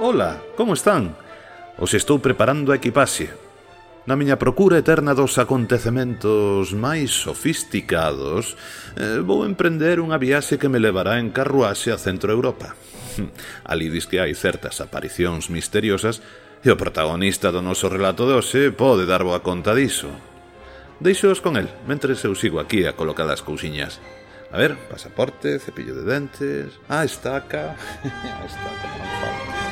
Ola, como están? Os estou preparando a equipaxe. Na miña procura eterna dos acontecementos máis sofisticados, vou emprender unha viaxe que me levará en carruaxe a Centro Europa. Ali dis que hai certas aparicións misteriosas e o protagonista do noso relato de hoxe pode dar boa conta diso. Deixoos con el, mentres eu sigo aquí a colocar as cousiñas. A ver, pasaporte, cepillo de dentes... estaca... estaca non falta.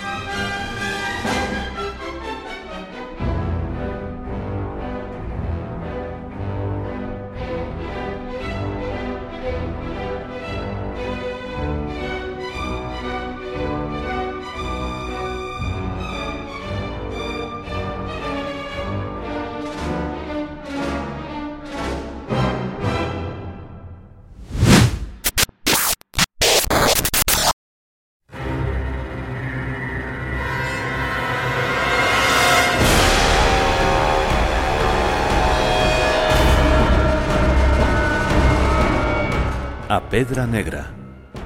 A Pedra Negra,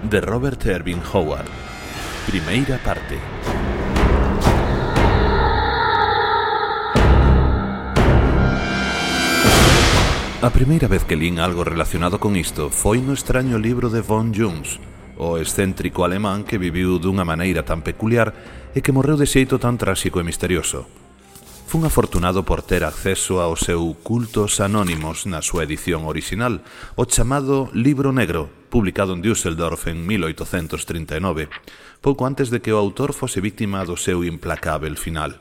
de Robert Irving Howard. Primeira parte. A primeira vez que lín algo relacionado con isto foi no extraño libro de von Jungs, o excéntrico alemán que viviu dunha maneira tan peculiar e que morreu de xeito tan tráxico e misterioso. Fun afortunado por ter acceso ao seu Cultos Anónimos na súa edición original, o chamado Libro Negro, publicado en Düsseldorf en 1839, pouco antes de que o autor fose víctima do seu implacável final.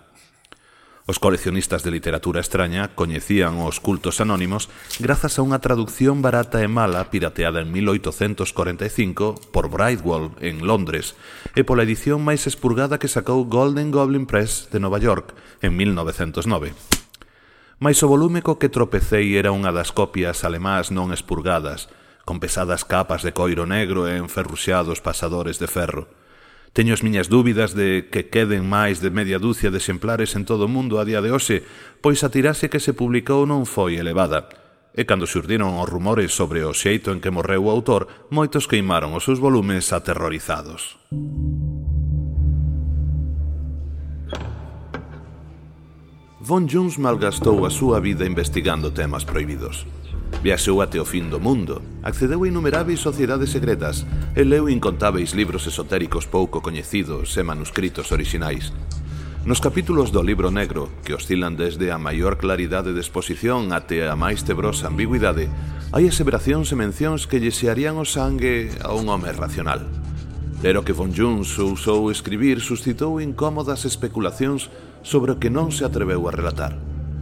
Os coleccionistas de literatura extraña coñecían os Cultos Anónimos grazas a unha traducción barata e mala pirateada en 1845 por Brightwell en Londres e pola edición máis expurgada que sacou Golden Goblin Press de Nova York en 1909. Mais o volume co que tropecei era unha das copias alemás non expurgadas, con pesadas capas de coiro negro e enferruxados pasadores de ferro. Teño as miñas dúbidas de que queden máis de media dúcia de exemplares en todo o mundo a día de hoxe, pois a tirase que se publicou non foi elevada. E cando xurdiron os rumores sobre o xeito en que morreu o autor, moitos queimaron os seus volumes aterrorizados. Von Jungs malgastou a súa vida investigando temas prohibidos. Viaxou até o fin do mundo, accedeu a innumeráveis sociedades secretas e leu incontáveis libros esotéricos pouco coñecidos e manuscritos orixinais. Nos capítulos do Libro Negro, que oscilan desde a maior claridade de exposición até a máis tebrosa ambigüidade, hai aseveracións e mencións que lle xearían o sangue a un home racional. Pero que von Jungs ousou escribir suscitou incómodas especulacións sobre o que non se atreveu a relatar.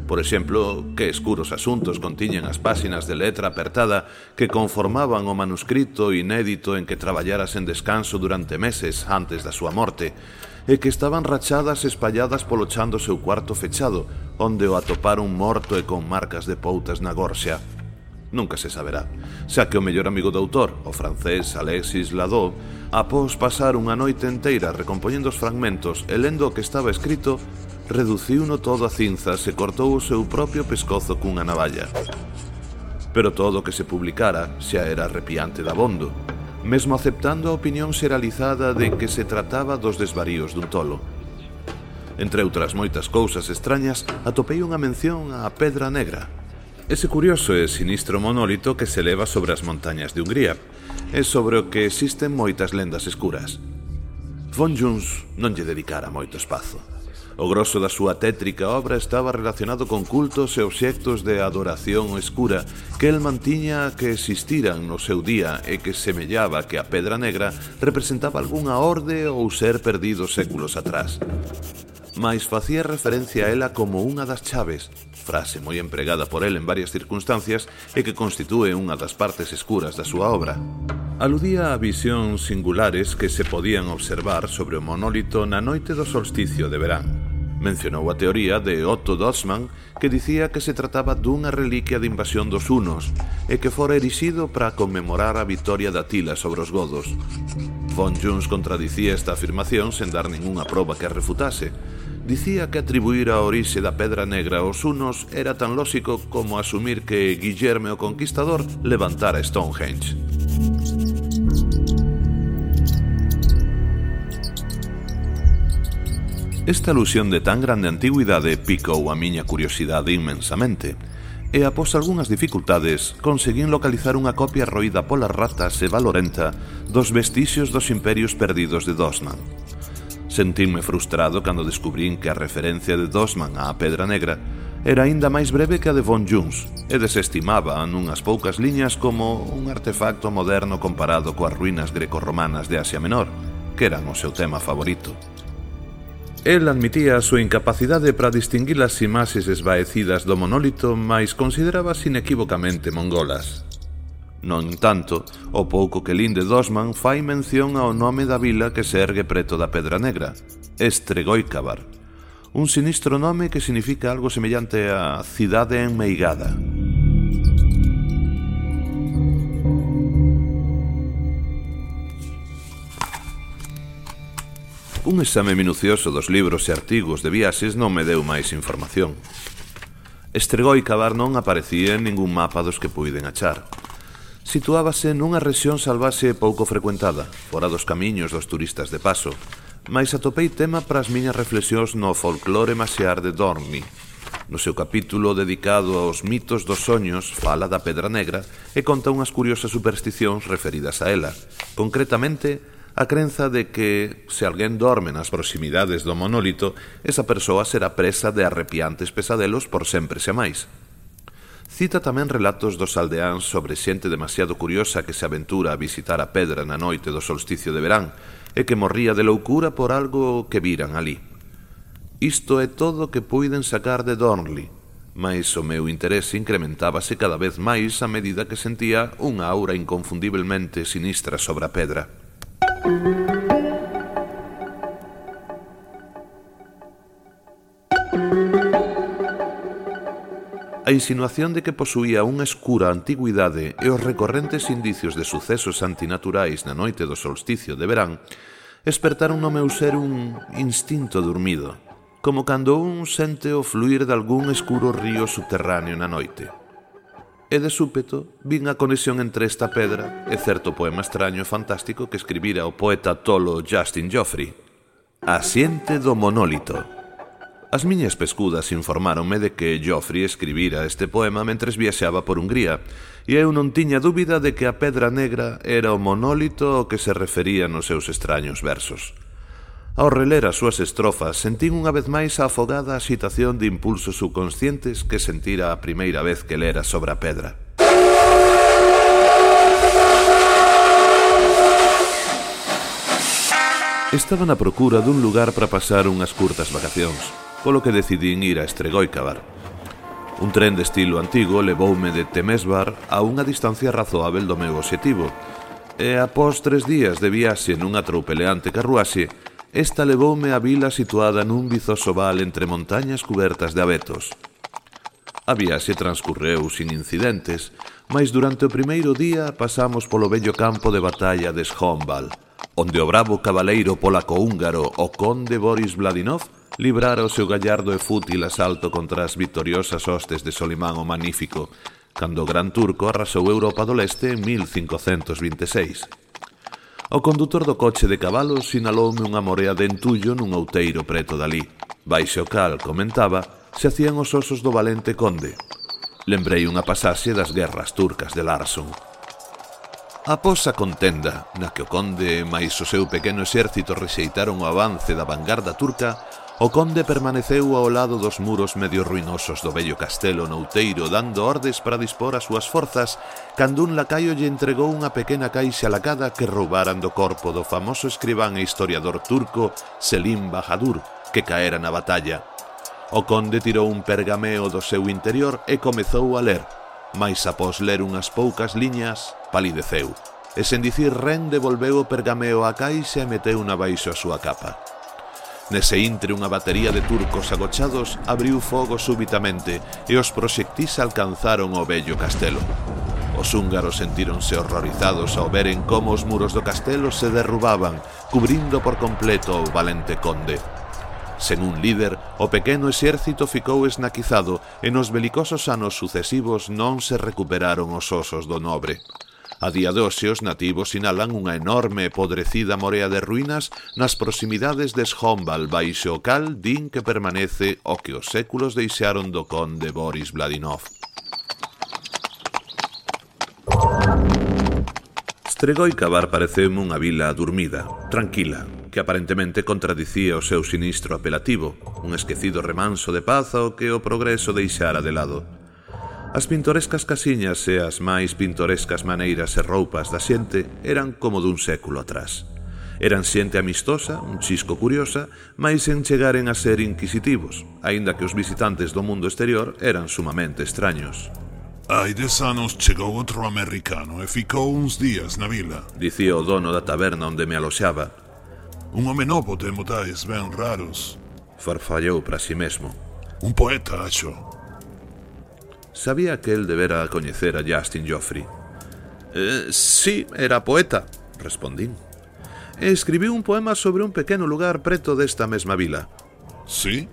Por exemplo, que escuros asuntos contiñen as páxinas de letra apertada que conformaban o manuscrito inédito en que traballara sen descanso durante meses antes da súa morte, e que estaban rachadas e espalladas polo chan do seu cuarto fechado, onde o atoparon morto e con marcas de poutas na gorxa. Nunca se saberá, xa que o mellor amigo do autor, o francés Alexis Ladot, após pasar unha noite enteira recompoñendo os fragmentos e lendo o que estaba escrito, reduciuno todo a cinzas e cortou o seu propio pescozo cunha navalla. Pero todo o que se publicara xa era arrepiante dabondo, mesmo aceptando a opinión xeralizada de que se trataba dos desvaríos dun tolo. Entre outras moitas cousas extrañas, atopei unha mención á Pedra Negra, ese curioso e sinistro monólito que se eleva sobre as montañas de Hungría, e sobre o que existen moitas lendas escuras. Von Jungs non lle dedicara moito espazo. O grosso da súa tétrica obra estaba relacionado con cultos e obxectos de adoración escura que el mantiña que existiran no seu día e que semellaba que a Pedra Negra representaba algunha orde ou ser perdido séculos atrás. Mais facía referencia a ela como unha das chaves, frase moi empregada por el en varias circunstancias e que constitúe unha das partes escuras da súa obra. Aludía a visións singulares que se podían observar sobre o monólito na noite do solsticio de verán. Mencionou a teoría de Otto Dossmann que dicía que se trataba dunha reliquia de invasión dos hunos e que fora erixido para conmemorar a vitoria de Atila sobre os godos. Von Jungs contradicía esta afirmación sen dar ningunha proba que a refutase. Dicía que atribuir a orixe da Pedra Negra aos hunos era tan lóxico como asumir que Guillermo o Conquistador levantara Stonehenge. Esta alusión de tan grande antigüidade picou a miña curiosidade inmensamente, e após algunhas dificultades conseguín localizar unha copia roída polas ratas e valorenta dos vestixios dos imperios perdidos de Dosman. Sentínme frustrado cando descubrín que a referencia de Dosman á Pedra Negra era aínda máis breve que a de Von Jones e desestimaba nunhas poucas liñas como un artefacto moderno comparado coas ruínas greco-romanas de Asia Menor, que eran o seu tema favorito. El admitía a súa incapacidade para distinguir as imaxes esvaecidas do monólito, mais considerábase inequívocamente mongolas. No entanto, o pouco que lin de Dosman fai mención ao nome da vila que se ergue preto da Pedra Negra, Estregoicabar, un sinistro nome que significa algo semellante a cidade enmeigada. Un exame minucioso dos libros e artigos de viaxes non me deu máis información. Estregoicabar non aparecía en ningún mapa dos que puiden achar. Situábase nunha rexión salvaxe pouco frecuentada, fora dos camiños dos turistas de paso, mais atopei tema para as miñas reflexións no folclore maxiar de Dornli. No seu capítulo dedicado aos mitos dos soños fala da Pedra Negra e conta unhas curiosas supersticións referidas a ela, concretamente a crenza de que, se alguén dorme nas proximidades do monólito, esa persoa será presa de arrepiantes pesadelos por sempre xa máis. Cita tamén relatos dos aldeáns sobre xente demasiado curiosa que se aventura a visitar a pedra na noite do solsticio de verán e que morría de loucura por algo que viran ali. Isto é todo o que puiden sacar de Dornli, mais o meu interese incrementábase cada vez máis a medida que sentía unha aura inconfundiblemente sinistra sobre a pedra. A insinuación de que posuía unha escura antigüidade e os recorrentes indicios de sucesos antinaturais na noite do solsticio de verán espertaron no meu ser un instinto dormido, como cando un sente o fluir de algún escuro río subterráneo na noite. E de súpeto vin a conexión entre esta pedra e certo poema extraño e fantástico que escribira o poeta tolo Justin Joffrey, A Xente do Monólito. As miñas pescudas informáronme de que Joffrey escribira este poema mentres viaxaba por Hungría, e eu non tiña dúbida de que a Pedra Negra era o monólito ao que se refería nos seus extraños versos. Ao reler as súas estrofas, sentín unha vez máis a afogada axitación de impulsos subconscientes que sentira a primeira vez que lera sobre a pedra. Estaba na procura dun lugar para pasar unhas curtas vacacións, polo que decidín ir a Estregoicabar. Un tren de estilo antigo levoume de Temesvar a unha distancia razoável do meu obxectivo, e após 3 días de viaxe nunha troupeleante carruaxe, esta levoume á vila situada nun vizoso val entre montañas cubertas de abetos. A viaxe transcurreu sin incidentes, mas durante o primeiro día pasamos polo vello campo de batalla de Schonval, onde o bravo cabaleiro polaco-húngaro o conde Boris Vladinov librara o seu gallardo e fútil asalto contra as victoriosas hostes de Solimán o Magnífico, cando o gran turco arrasou Europa do Leste en 1526. O condutor do coche de cabalos sinaloume unha morea de entullo nun outeiro preto dali, baixo o cal, comentaba, se hacían os osos do valente conde. Lembrei unha pasaxe das guerras turcas de Larson. Após a contenda, na que o conde máis o seu pequeno exército rexeitaron o avance da vanguarda turca, o conde permaneceu ao lado dos muros medio ruinosos do vello castelo nouteiro dando ordes para dispor as súas forzas cando un lacaio lle entregou unha pequena caixa lacada que roubaran do corpo do famoso escribán e historiador turco Selim Bahadur, que caera na batalla. O conde tirou un pergameo do seu interior e comezou a ler, mais após ler unhas poucas liñas, palideceu, e sen dicir ren devolveu o pergameo á caixa e meteu na baixo a súa capa. Nese intre unha batería de turcos agochados abriu fogo súbitamente e os proxectís alcanzaron o vello castelo. Os húngaros sentíronse horrorizados ao veren como os muros do castelo se derrubaban, cubrindo por completo o valente conde. Sen un líder, o pequeno exército ficou esnaquizado e nos belicosos anos sucesivos non se recuperaron os osos do nobre. A día de hoxe os nativos sinalan unha enorme e podrecida morea de ruínas nas proximidades de Shomval baixo o cal din que permanece o que os séculos deixaron do conde Boris Vladinov. Strigoi-Kavar pareceume unha vila dormida, tranquila, que aparentemente contradicía o seu sinistro apelativo, un esquecido remanso de paz ao que o progreso deixara de lado. As pintorescas casiñas e as máis pintorescas maneiras e roupas da xente eran como dun século atrás. Eran xente amistosa, un chisco curiosa, mais sen chegaren a ser inquisitivos, aínda que os visitantes do mundo exterior eran sumamente extraños. Hai 10 anos chegou outro americano e ficou uns días na vila, dicía o dono da taberna onde me aloxaba. Un home novo de modais ben raros. Farfallou para si mesmo. Un poeta, acho. Sabía que el debera coñecer a Justin Joffrey. Sí, era poeta, respondín. E escribiu un poema sobre un pequeno lugar preto desta mesma vila. Sí?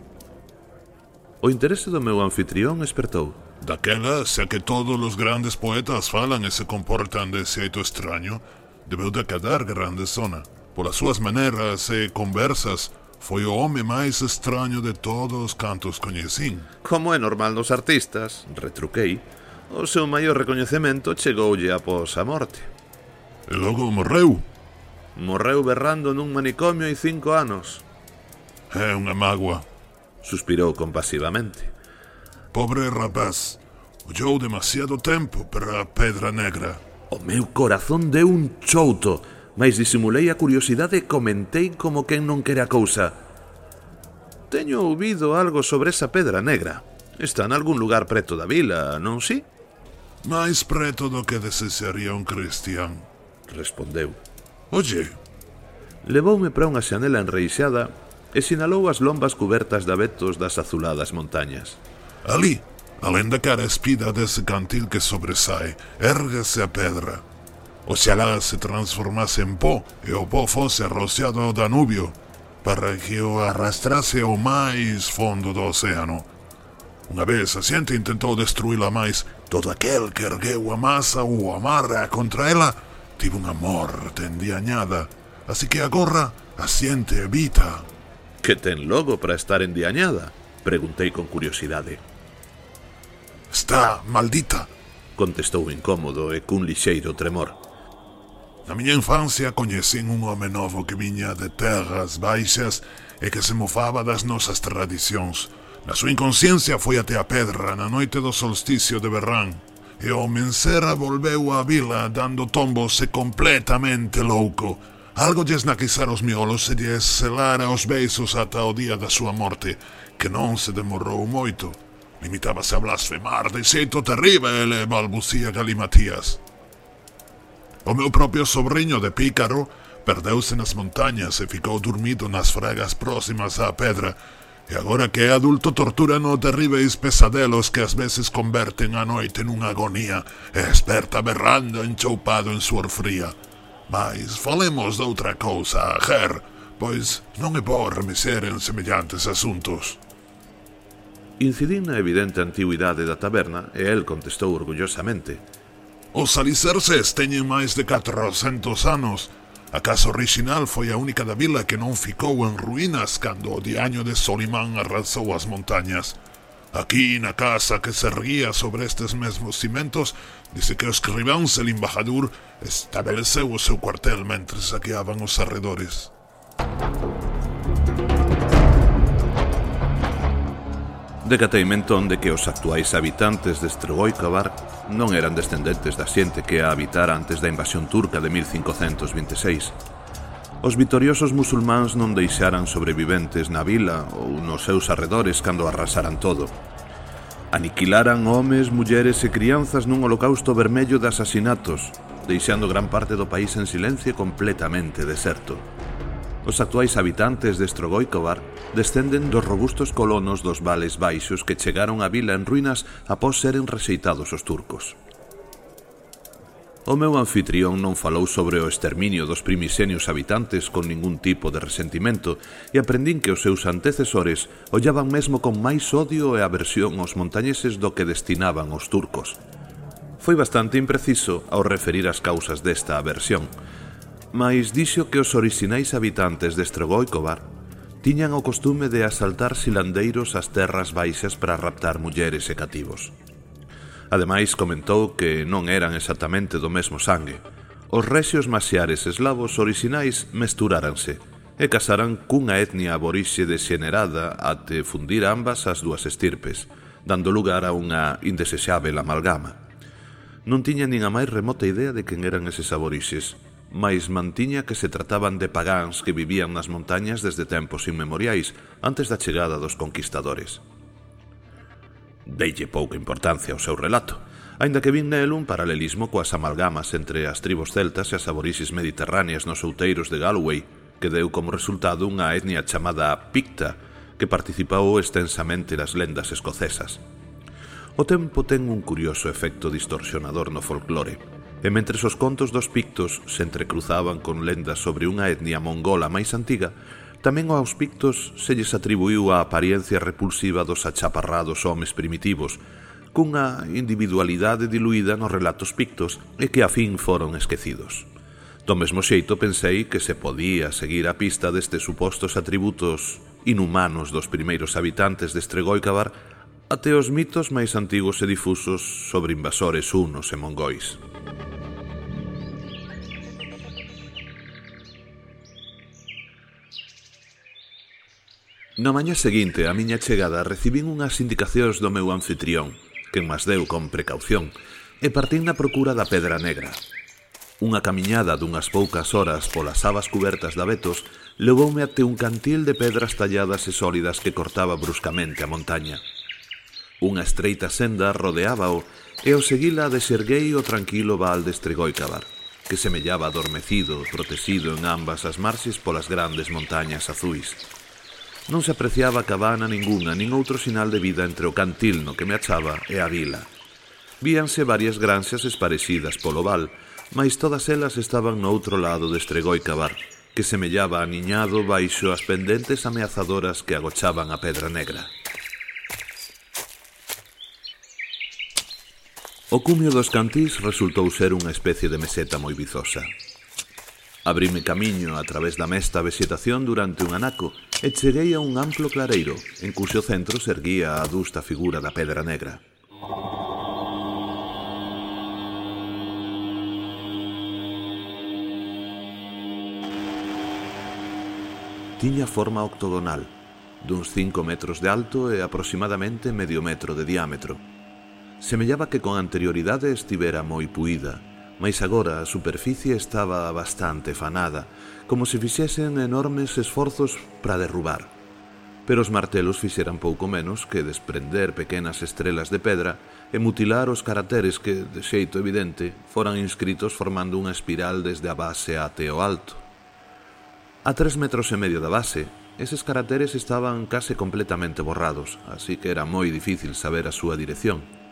O interese do meu anfitrión espertou. Daquela, xa que todos os grandes poetas falan e se comportan de xeito extraño, debeu de quedar grande zona. Polas súas maneras e conversas, foi o home máis extraño de todos os cantos coñecín. Como é normal nos artistas, retruquei, o seu maior recoñecemento chegoulle após a morte. E logo morreu. Morreu berrando nun manicomio hai 5 anos. É unha mágoa, suspirou compasivamente. Pobre rapaz, ollou demasiado tempo para a Pedra Negra. O meu corazón deu un chouto, mais disimulei a curiosidade e comentei como quen non quere a cousa. Teño ouvido algo sobre esa Pedra Negra. Está nalgún lugar preto da vila, non si? máis preto do que desexaría un cristián, respondeu. Oye, levoume para unha xanela enreixada e sinalou as lombas cubertas de abetos das azuladas montañas. Ali, alén da cara espida dese cantil que sobresae, érguese a pedra. Oxalá se transformase en pó e o pó fose arrociado ao Danubio para que o arrastrase ao máis fondo do océano. Unha vez a xente intentou destruíla máis, todo aquel que ergueu a masa ou a amarra contra ela tivo unha morte endiañada, así que agora a xente evita. Que ten logo para estar endiañada? Preguntei con curiosidade. Está maldita, contestou incómodo e cun lixeiro tremor. Na miña infancia coñecín un home novo que viña de terras baixas e que se mofaba das nosas tradicións. Na súa inconsciencia foi até a pedra na noite do solsticio de verán e ao mensera volveu á vila dando tombos e completamente louco. Algo lles naquizara os miolos e lles selara os beiços ata o día da súa morte, que non se demorou moito. Limitábase a blasfemar de xeito terrível e balbucía galimatías. O meu propio sobrinho de pícaro perdeuse nas montañas e ficou dormido nas fragas próximas á pedra, e agora que é adulto tortúrano terríveis pesadelos que ás veces converten a noite nunha agonía e esperta berrando enchoupado en suor fría. Mas falemos de outra cousa, Ger, pois non é bo remexer en semellantes asuntos. Incidín na evidente antigüidade da taberna e el contestou orgullosamente. Os alicerces teñen máis de 400 anos. A casa original foi a única da vila que non ficou en ruínas cando o diaño de Solimán arrasou as montañas. Aquí, na casa que se erguía sobre estes mesmos cimentos, dice que o escribán Selim Bahadur estabeleceu o seu cuartel mentres saqueaban os arredores. Decateime entón de que os actuais habitantes de Strigoi-Kavar non eran descendentes da xente que a habitara antes da invasión turca de 1526. Os vitoriosos musulmáns non deixaran sobreviventes na vila ou nos seus arredores cando arrasaran todo. Aniquilaran homes, mulleres e crianzas nun holocausto vermello de asasinatos, deixando gran parte do país en silencio e completamente deserto. Os actuais habitantes de Strigoi-Kavar descenden dos robustos colonos dos vales baixos que chegaron á vila en ruínas após seren rexeitados os turcos. O meu anfitrión non falou sobre o exterminio dos primixenios habitantes con ningún tipo de resentimento e aprendín que os seus antecesores ollaban mesmo con máis odio e aversión aos montañeses do que destinaban aos turcos. Foi bastante impreciso ao referir as causas desta aversión, mais dixo que os orixinais habitantes de Estregoicobar tiñan o costume de asaltar silandeiros ás terras baixas para raptar mulleres e cativos. Ademais, comentou que non eran exactamente do mesmo sangue. Os rexios maxiares eslavos orixinais mesturáranse e casaran cunha etnia aborixe dexenerada até fundir ambas as dúas estirpes, dando lugar a unha indesexável amalgama. Non tiña nin a máis remota idea de quen eran eses aborixes, mais mantiña que se trataban de pagáns que vivían nas montañas desde tempos inmemoriais, antes da chegada dos conquistadores. Deille pouca importancia ao seu relato, aínda que vin nel un paralelismo coas amalgamas entre as tribos celtas e as aborixes mediterráneas nos outeiros de Galway, que deu como resultado unha etnia chamada Picta, que participou extensamente nas lendas escocesas. O tempo ten un curioso efecto distorsionador no folclore, e mentres os contos dos pictos se entrecruzaban con lendas sobre unha etnia mongola máis antiga, tamén aos pictos se lles atribuiu a apariencia repulsiva dos achaparrados homes primitivos, cunha individualidade diluída nos relatos pictos e que a fin foron esquecidos. Do mesmo xeito pensei que se podía seguir a pista destes supostos atributos inhumanos dos primeiros habitantes de Estregoicobar até os mitos máis antigos e difusos sobre invasores hunos e mongois. Na mañá seguinte, a miña chegada, recibín unhas indicacións do meu anfitrión, que mas deu con precaución, e partín na procura da Pedra Negra. Unha camiñada dunhas poucas horas polas abas cubertas de abetos levoume até un cantil de pedras talladas e sólidas que cortaba bruscamente a montaña. Unha estreita senda rodeábao e ao seguila deserguei o tranquilo val de Estregoicobar, que semellaba adormecido, protegido en ambas as marxes polas grandes montañas azuis. Non se apreciaba cabana ninguna nin outro sinal de vida entre o cantil no que me achaba e a vila. Víanse varias granxas esparecidas polo val, mais todas elas estaban no outro lado de Estregoicobar, que semellaba aniñado baixo as pendentes ameazadoras que agochaban a Pedra Negra. O cumio dos cantís resultou ser unha especie de meseta moi vizosa. Abrime camiño a través da mesta vexetación durante un anaco e cheguei a un amplo clareiro, en cuxo centro se erguía a adusta figura da Pedra Negra. Tiña forma octogonal, duns 5 metros de alto e aproximadamente medio metro de diámetro. Semellaba que con anterioridade estivera moi puída, mais agora a superficie estaba bastante fanada, como se fixesen enormes esforzos para derrubar. Pero os martelos fixeran pouco menos que desprender pequenas estrelas de pedra e mutilar os caracteres que, de xeito evidente, foran inscritos formando unha espiral desde a base até o alto. A 3,5 metros da base, eses caracteres estaban case completamente borrados, así que era moi difícil saber a súa dirección.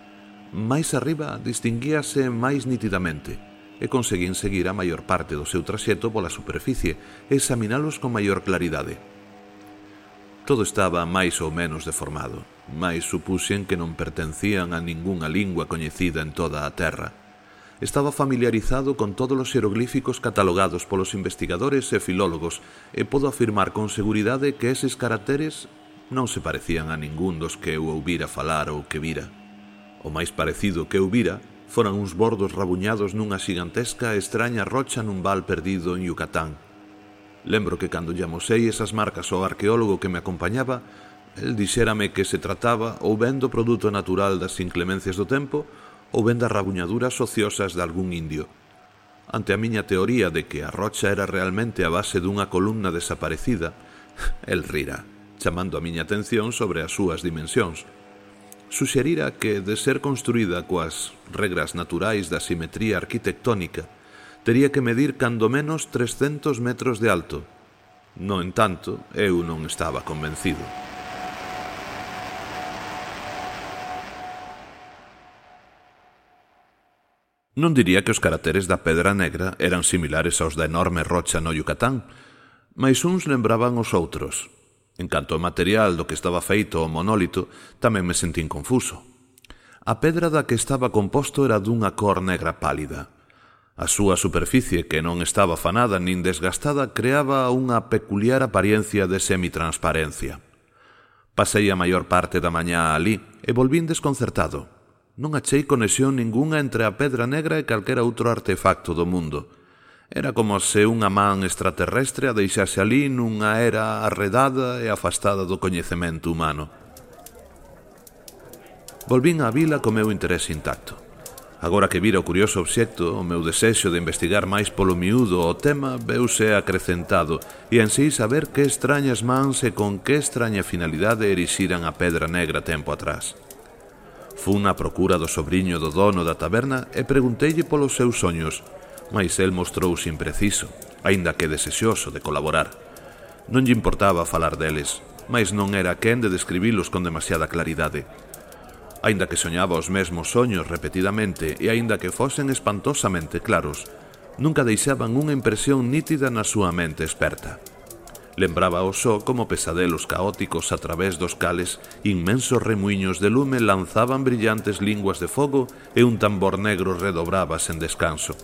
Mais arriba distinguíase máis nitidamente, e conseguín seguir a maior parte do seu traxecto pola superficie e examinalos con maior claridade. Todo estaba máis ou menos deformado, mais supuxen que non pertencían a ningunha lingua coñecida en toda a terra. Estaba familiarizado con todos os xeroglíficos catalogados polos investigadores e filólogos e podo afirmar con seguridade que eses caracteres non se parecían a ningún dos que eu ouvira falar ou que vira. O máis parecido que eu vira foran uns bordos rabuñados nunha xigantesca e extraña rocha nun val perdido en Yucatán. Lembro que cando lle amosei esas marcas ao arqueólogo que me acompañaba, el dixérame que se trataba ou ben do produto natural das inclemencias do tempo ou ben das rabuñaduras ociosas de algún indio. Ante a miña teoría de que a rocha era realmente a base dunha columna desaparecida, el rira, chamando a miña atención sobre as súas dimensións. Suxerira que, de ser construída coas regras naturais da simetría arquitectónica, tería que medir cando menos 300 metros de alto. No entanto, eu non estaba convencido. Non diría que os caracteres da Pedra Negra eran similares aos da enorme rocha no Yucatán, mais uns lembraban os outros. En canto ao material do que estaba feito o monólito, tamén me sentín confuso. A pedra da que estaba composto era dunha cor negra pálida. A súa superficie, que non estaba afanada nin desgastada, creaba unha peculiar apariencia de semitransparencia. Pasei a maior parte da mañá alí e volvín desconcertado. Non achei conexión ningunha entre a pedra negra e calquera outro artefacto do mundo. Era como se unha man extraterrestre a deixase alí nunha era arredada e afastada do coñecemento humano. Volvín á vila co meu interese intacto. Agora que vira o curioso obxecto, o meu desexo de investigar máis polo miúdo o tema veuse acrecentado e ansei saber que extrañas mans e con que extraña finalidade erixiran a pedra negra tempo atrás. Fun na procura do sobriño do dono da taberna e pregunteille polos seus soños, mais el mostrouse impreciso, aínda que desexoso de colaborar. Non lle importaba falar deles, mais non era quen de describilos con demasiada claridade. Aínda que soñaba os mesmos soños repetidamente e aínda que fosen espantosamente claros, nunca deixaban unha impresión nítida na súa mente experta. Lembraba o só como pesadelos caóticos a través dos cales inmensos remuiños de lume lanzaban brillantes linguas de fogo e un tambor negro redobraba sen descanso.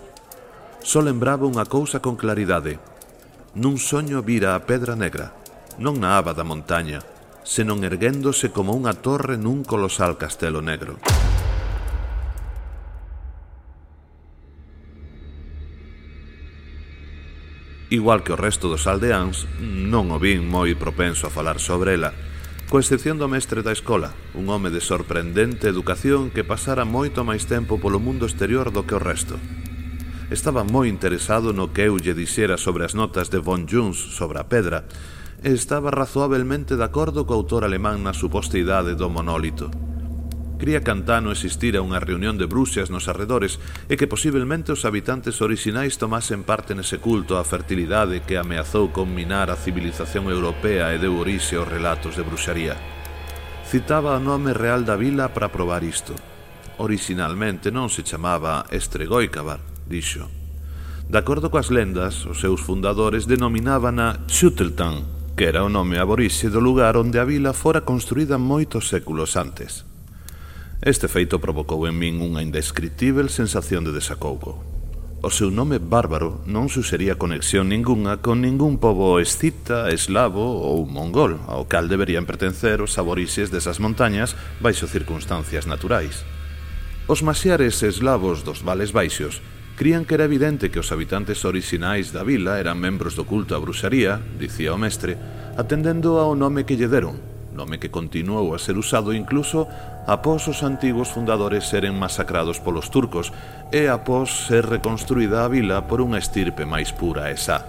Só lembraba unha cousa con claridade. Nun soño vira a pedra negra, non na aba da montaña, senón erguéndose como unha torre nun colosal castelo negro. Igual que o resto dos aldeáns, non o vin moi propenso a falar sobre ela, coa excepción do mestre da escola, un home de sorprendente educación que pasara moito máis tempo polo mundo exterior do que o resto. Estaba moi interesado no que eu lle dixera sobre as notas de von Jones sobre a pedra, e estaba razoablemente de acordo co autor alemán na suposteidade do monólito. Cría que antano existira unha reunión de bruxas nos arredores e que posiblemente os habitantes orixinais tomasen parte nese culto á fertilidade que ameazou con minar a civilización europea e deu orixe aos relatos de bruxaría. Citaba o nome real da vila para probar isto. Orixinalmente non se chamaba Estregoicabar, dixo. De acordo coas lendas, os seus fundadores denominábana Schuteltan, que era o nome aborixe do lugar onde a vila fora construída moitos séculos antes. Este feito provocou en min unha indescritível sensación de desacougo. O seu nome bárbaro non suxería conexión ningunha con ningún pobo escita, eslavo ou mongol, ao cal deberían pertencer os aborixes desas montañas baixo circunstancias naturais. Os masiares eslavos dos vales baixos crían que era evidente que os habitantes orixinais da vila eran membros do culto á bruxaría, dicía o mestre, atendendo ao nome que lle deron, nome que continuou a ser usado incluso após os antigos fundadores seren masacrados polos turcos e após ser reconstruída a vila por unha estirpe máis pura e sá.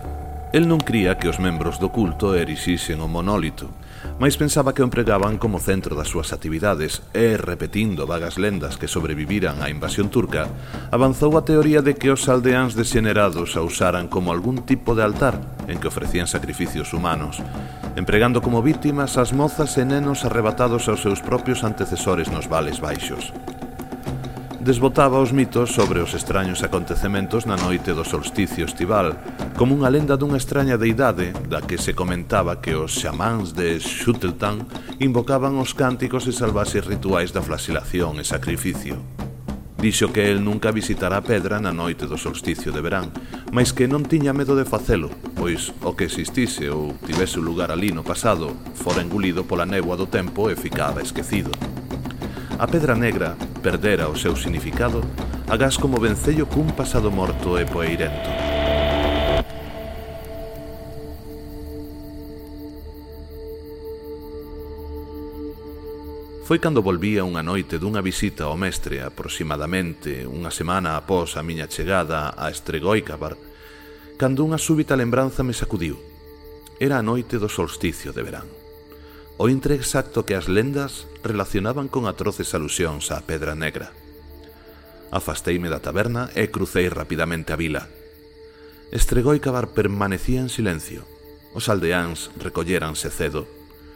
El non cría que os membros do culto erixisen o monólito, mais pensaba que o empregaban como centro das súas actividades e, repetindo vagas lendas que sobreviviran á invasión turca, avanzou a teoría de que os aldeáns desxenerados a usaran como algún tipo de altar en que ofrecían sacrificios humanos, empregando como vítimas as mozas e nenos arrebatados aos seus propios antecesores nos vales baixos. Desbotaba os mitos sobre os extraños acontecementos na noite do solsticio estival, como unha lenda dunha extraña deidade da que se comentaba que os xamáns de Schuteltan invocaban os cánticos e salvaxes rituais da flagelación e sacrificio. Dixo que el nunca visitara a pedra na noite do solsticio de verán, mas que non tiña medo de facelo, pois o que existise ou tivese lugar ali no pasado fora engulido pola néboa do tempo e ficaba esquecido. A pedra negra perdera o seu significado agás como vencello cun pasado morto e poeirento. Foi cando volvía unha noite dunha visita ao mestre aproximadamente unha semana após a miña chegada a Estregoicabar, cando unha súbita lembranza me sacudiu. Era a noite do solsticio de verán. O intre exacto que as lendas relacionaban con atroces alusións á pedra negra. Afasteime da taberna e crucei rapidamente a vila. Estregoicabar permanecía en silencio. Os aldeáns recolléranse cedo.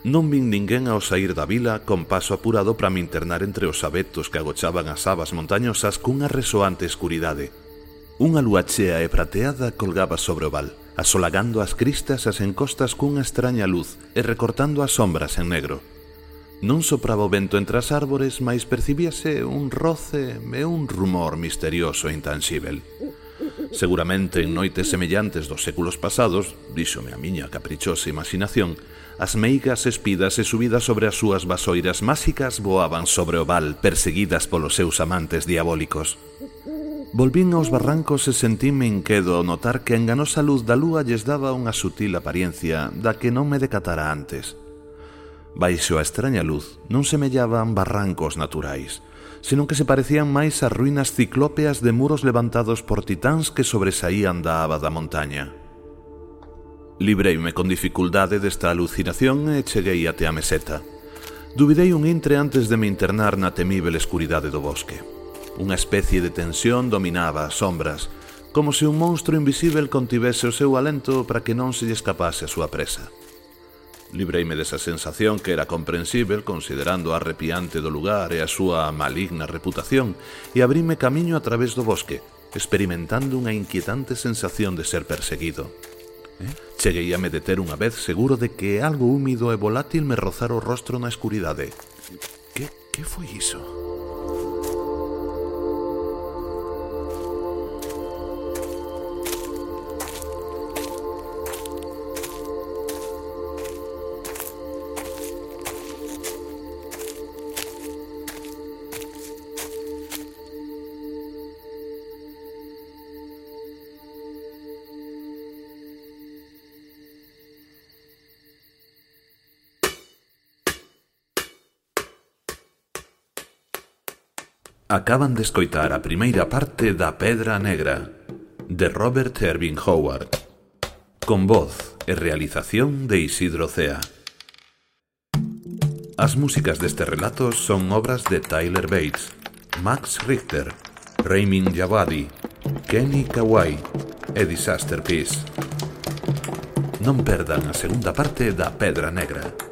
Non vin ninguén ao saír da vila con paso apurado para me internar entre os abetos que agochaban as abas montañosas cunha resoante escuridade. Unha lúa chea e prateada colgaba sobre o val, asolagando as cristas as encostas cunha extraña luz e recortando as sombras en negro. Non sopraba o vento entre as árbores, mais percibíase un roce e un rumor misterioso e intanxíbel. Seguramente en noites semellantes dos séculos pasados, díxome a miña caprichosa imaginación, as meigas espidas e subidas sobre as súas vasoiras máxicas voaban sobre o val, perseguidas polos seus amantes diabólicos. Volvín aos barrancos e sentíme inquedo ao notar que a enganosa luz da lúa lles daba unha sutil apariencia da que non me decatara antes. Baixo a extraña luz non semellaban barrancos naturais, senón que se parecían máis ás ruínas ciclópeas de muros levantados por titáns que sobresaían da aba da montaña. Libreime con dificultade desta alucinación e cheguei até a meseta. Duvidei un intre antes de me internar na temível escuridade do bosque. Unha especie de tensión dominaba as sombras, como se un monstro invisível contivese o seu alento para que non se lle escapase a súa presa. Libreime desa sensación que era comprensível considerando a arrepiante do lugar e a súa maligna reputación e abrime camiño a través do bosque, experimentando unha inquietante sensación de ser perseguido. Cheguei a me deter unha vez seguro de que algo húmido e volátil me rozara o rostro na escuridade. Que foi iso? Acaban de escoitar a primeira parte da Pedra Negra, de Robert Irving Howard, con voz e realización de Isidro Cea. As músicas deste relato son obras de Tyler Bates, Max Richter, Ramin Djawadi, Kenny Kawai e Disaster Peace. Non perdan a segunda parte da Pedra Negra.